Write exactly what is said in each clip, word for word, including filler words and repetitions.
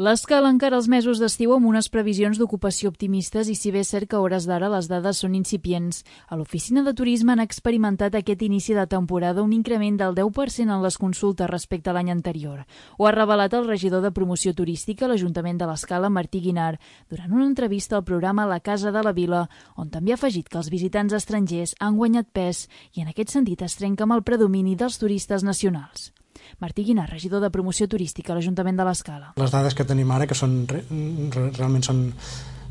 L'Escala encara els mesos d'estiu amb unes previsions d'ocupació optimistes i si bé és cert que a hores d'ara les dades són incipients. A l'oficina de turisme han experimentat aquest inici de temporada un increment del deu per cent en les consultes respecte a l'any anterior. Ho ha revelat el regidor de promoció turística a l'Ajuntament de l'Escala, Martí Guinart, durant una entrevista al programa La Casa de la Vila, on també ha afegit que els visitants estrangers han guanyat pes i en aquest sentit es trenca amb el predomini dels turistes nacionals. Martí Guinart, regidor de promoció turística a l'Ajuntament de l'Escala. Les dades que tenim ara, que són realment són,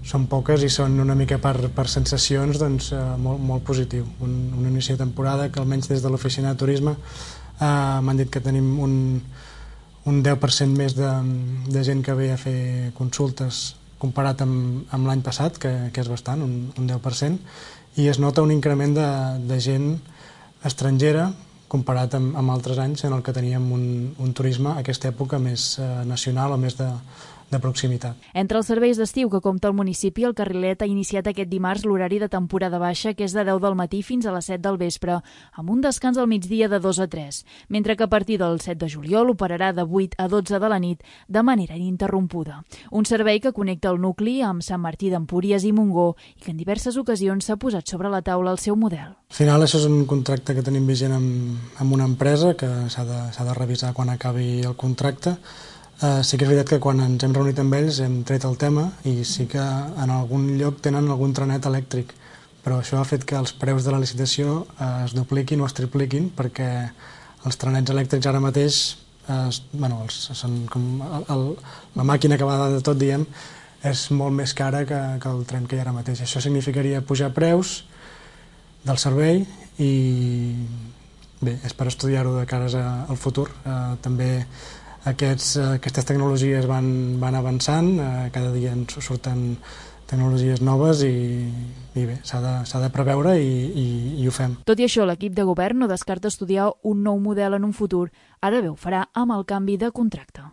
són poques i són una mica per, per sensacions, doncs eh, molt, molt positiu. Un, un inici de temporada que almenys des de l'oficina de turisme eh, m'han dit que tenim un, un deu per cent més de, de gent que ve a fer consultes comparat amb, amb l'any passat, que, que és bastant, un, un deu per cent, i es nota un increment de, de gent estrangera comparat amb, amb altres anys en el que teníem un, un turisme a aquesta època més eh, nacional o més de, de proximitat. Entre els serveis d'estiu que compta el municipi, el Carrilet ha iniciat aquest dimarts l'horari de temporada baixa, que és de deu del matí fins a les set del vespre, amb un descans al migdia de dos a tres, mentre que a partir del set de juliol operarà de vuit a dotze de la nit de manera ininterrompuda. Un servei que connecta el nucli amb Sant Martí d'Empúries i Montgó i que en diverses ocasions s'ha posat sobre la taula el seu model. Al final això és un contracte que tenim vigent amb, amb una empresa que s'ha de, s'ha de revisar quan acabi el contracte. Uh, sí que és veritat que quan ens hem reunit amb ells hem tret el tema i sí que en algun lloc tenen algun trenet elèctric, però això ha fet que els preus de la licitació uh, es dupliquin o es tripliquin perquè els trenets elèctrics ara mateix, uh, bueno, els, són com el, el, la màquina que va de tot, diem, és molt més cara que, que el tren que hi ha ara mateix. Això significaria pujar preus del servei i bé, és per estudiar-ho de cares al futur. Uh, també Aquests, aquestes tecnologies van, van avançant, eh, cada dia ens surten tecnologies noves i, i bé, s'ha de, s'ha de preveure i, i, i ho fem. Tot i això, l'equip de govern no descarta estudiar un nou model en un futur. Ara bé, ho farà amb el canvi de contracte.